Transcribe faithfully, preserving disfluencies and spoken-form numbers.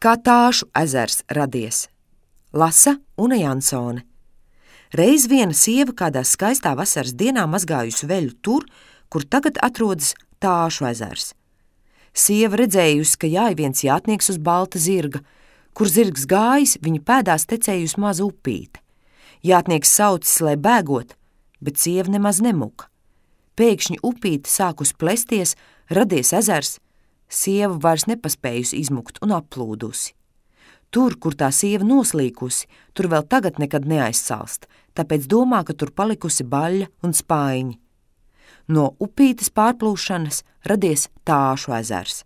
Kā Tāšu ezers radies. Lasa Una Jansone. Reiz viena sieva kādā skaistā vasaras dienā mazgājusi veļu tur, kur tagad atrodas Tāšu ezers. Sieva redzējusi, ka jāj viens jātnieks uz balta zirga, kur zirgs gājis, viņa pēdās tecējusi maza upīte. Jātnieks saucis, lai bēgot, bet sieva nemaz nemuka. Pēkšņi upīte sākus plesties, radies ezers, sieva vairs nepaspējusi izmukt un aplūdusi. Tur, kur tā sieva noslīkusi, tur vēl tagad nekad neaizsalst, tāpēc domā, ka tur palikusi baļļa un spaiņi. No upītes pārplūšanas radies Tāšu ezers.